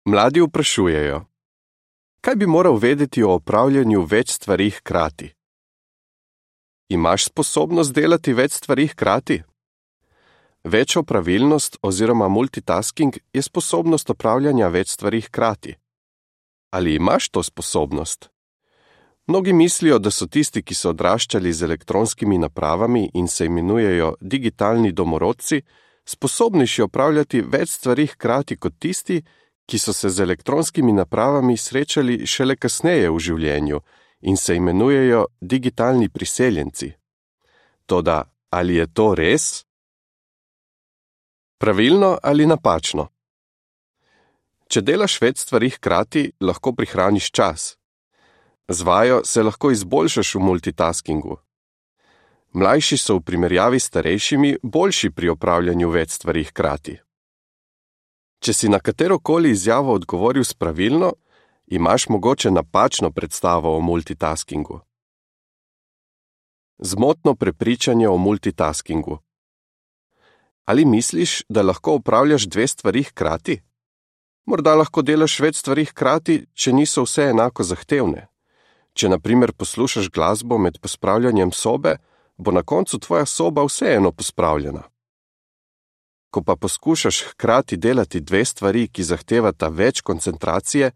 Mladi vprašujejo: kaj bi moral vedeti o opravljanju več stvari hkrati? Imaš sposobnost delati več stvari hkrati? Večja pravilnost oziroma multitasking je sposobnost opravljanja več stvari hkrati. Ali imaš to sposobnost? Mnogi mislijo, da so tisti, ki so odraščali z elektronskimi napravami in se imenujejo digitalni domorodci, sposobnejši opravljati več stvari hkrati kot tisti, ki so se z elektronskimi napravami srečali šele kasneje v življenju in se imenujejo digitalni priseljenci. Toda, ali je to res? Pravilno ali napačno? Če delaš več stvari hkrati, lahko prihraniš čas. Z vajo se lahko izboljšaš v multitaskingu. Mlajši so v primerjavi s starejšimi boljši pri opravljanju več stvari hkrati. Če si na katerokoli izjavo odgovoril s pravilno, imaš mogoče napačno predstavo o multitaskingu. Zmotno prepričanje o multitaskingu. Ali misliš, da lahko opravljaš dve stvari hkrati? Morda lahko delaš več stvari hkrati, če niso vse enako zahtevne. Če na primer poslušaš glasbo med pospravljanjem sobe, bo na koncu tvoja soba vseeno pospravljena. Ko pa poskušaš hkrati delati dve stvari, ki zahtevata več koncentracije,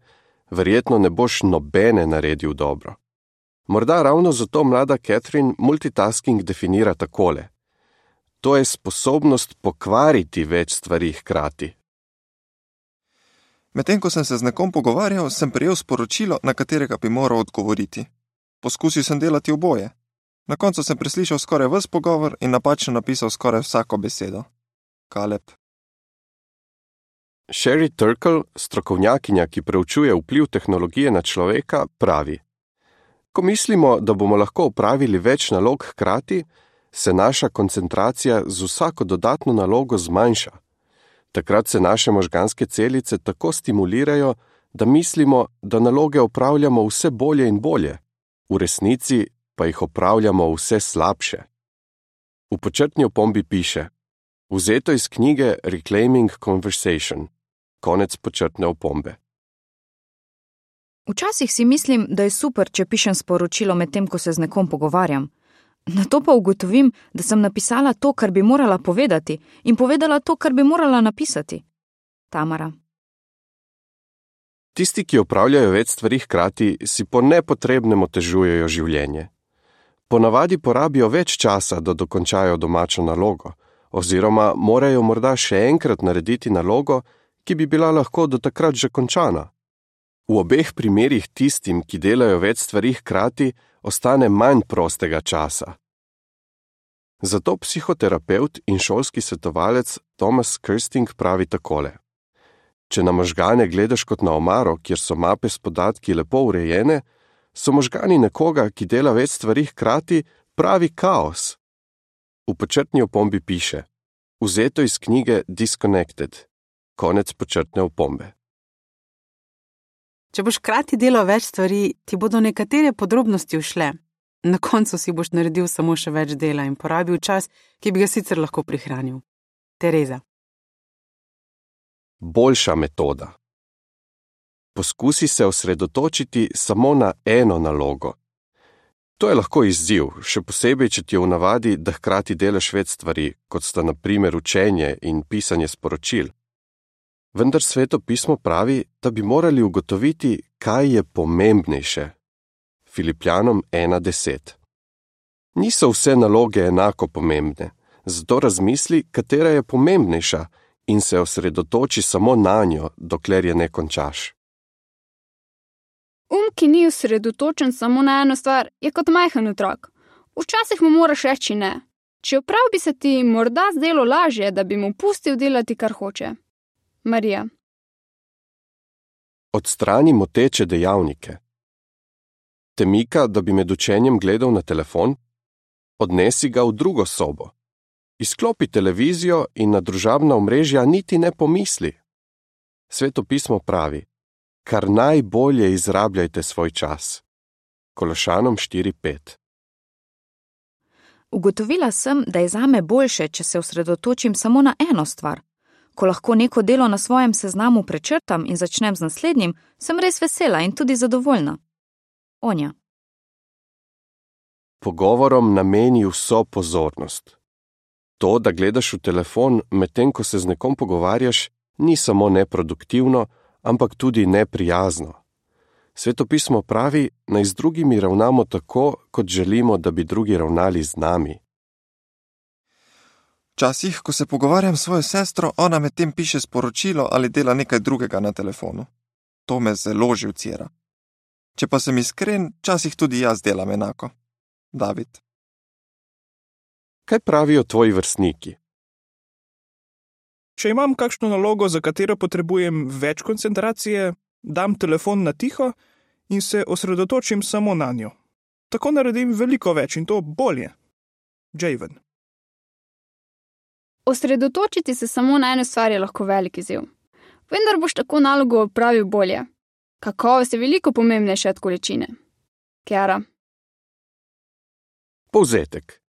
verjetno ne boš nobene naredil dobro. Morda ravno zato mlada Catherine multitasking definira takole: to je sposobnost pokvariti več stvari hkrati. Medtem ko sem se z nekom pogovarjal, sem prejel sporočilo, na katerega bi moral odgovoriti. Poskusil sem delati oboje. Na koncu sem preslišal skoraj ves pogovor in napačno napisal skoraj vsako besedo. Kaleb. Sherry Turkle, strokovnjakinja, ki preučuje vpliv tehnologije na človeka, pravi: ko mislimo, da bomo lahko opravili več nalog hkrati, se naša koncentracija z vsako dodatno nalogo zmanjša. Takrat se naše možganske celice tako stimulirajo, da mislimo, da naloge opravljamo vse bolje in bolje, v resnici pa jih opravljamo vse slabše. V počrtni opombi piše: vzeto iz knjige Reclaiming Conversation. Konec počrtne opombe. Včasih si mislim, da je super, če pišem sporočilo medtem, ko se z nekom pogovarjam. Nato pa ugotovim, da sem napisala to, kar bi morala povedati, in povedala to, kar bi morala napisati. Tamara. Tisti, ki opravljajo več stvari hkrati, si po nepotrebnem otežujejo življenje. Ponavadi porabijo več časa, da dokončajo domačo nalogo, oziroma morajo morda še enkrat narediti nalogo, ki bi bila lahko do takrat že končana. V obeh primerih tistim, ki delajo več stvari hkrati, ostane manj prostega časa. Zato psihoterapeut in šolski svetovalec Thomas Kirsting pravi takole: če na možgane gledaš kot na omaro, kjer so mape s podatki lepo urejene, so možgani nekoga, ki dela več stvari hkrati, pravi kaos. V počrtni opombi piše: vzeto iz knjige Disconnected. Konec počrtne opombe. Če boš hkrati delal več stvari, ti bodo nekatere podrobnosti ušle. Na koncu si boš naredil samo še več dela in porabil čas, ki bi ga sicer lahko prihranil. Tereza. Boljša metoda. Poskusi se osredotočiti samo na eno nalogo. To je lahko izziv, še posebej, če ti je v navadi, da hkrati delaš več stvari, kot sta na primer učenje in pisanje sporočil. Vendar Sveto pismo pravi, da bi morali ugotoviti, kaj je pomembnejše. Filipljanom 1:10. Niso vse naloge enako pomembne, zato razmisli, katera je pomembnejša in se osredotoči samo nanjo, dokler je ne končaš. Ki ni osredotočen samo na eno stvar, je kot majhen otrok. Včasih mu moraš reči ne. Čeprav bi se ti morda zdelo lažje, da bi mu pustil delati, kar hoče. Marija. Odstrani moteče dejavnike. Te mika, da bi med učenjem gledal na telefon? Odnesi ga v drugo sobo. Izklopi televizijo in na družabna omrežja niti ne pomisli. Sveto pismo pravi: kar najbolje izrabljajte svoj čas. Kološanom 4:5. Ugotovila sem, da je zame boljše, če se osredotočim samo na eno stvar. Ko lahko neko delo na svojem seznamu prečrtam in začnem z naslednjim, sem res vesela in tudi zadovoljna. Onja. Pogovorom nameni vso pozornost. To, da gledaš v telefon, medtem ko se z nekom pogovarjaš, ni samo neproduktivno, ampak tudi neprijazno. Svetopismo pravi, naj z drugimi ravnamo tako, kot želimo, da bi drugi ravnali z nami. Včasih, ko se pogovarjam s svojo sestro, ona medtem piše sporočilo ali dela nekaj drugega na telefonu. To me zelo živcira. Če pa sem iskren, včasih tudi jaz delam enako. David. Kaj pravijo tvoji vrstniki? Če imam kakšno nalogo, za katero potrebujem več koncentracije, dam telefon na tiho in se osredotočim samo na njo. Tako naredim veliko več in to bolje. Javen. Osredotočiti se samo na eno stvar je lahko velik izziv. Vendar boš tako nalogo opravil bolje. Kakovost je veliko pomembnejša od količine. Kiara. Povzetek.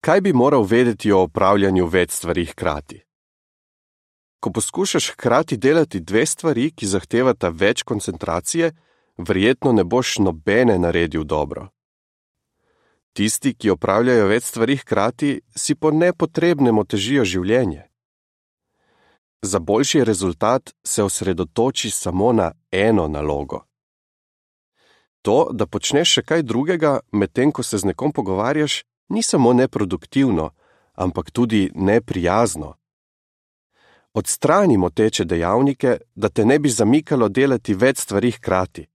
Kaj bi moral vedeti o opravljanju več stvari hkrati? Ko poskušaš hkrati delati dve stvari, ki zahtevata več koncentracije, verjetno ne boš nobene naredil dobro. Tisti, ki opravljajo več stvari hkrati, si po nepotrebnem otežijo življenje. Za boljši rezultat se osredotoči samo na eno nalogo. To, da počneš še kaj drugega, medtem ko se z nekom pogovarjaš, ni samo neproduktivno, ampak tudi neprijazno. Odstrani moteče dejavnike, da te ne bi zamikalo delati več stvari hkrati.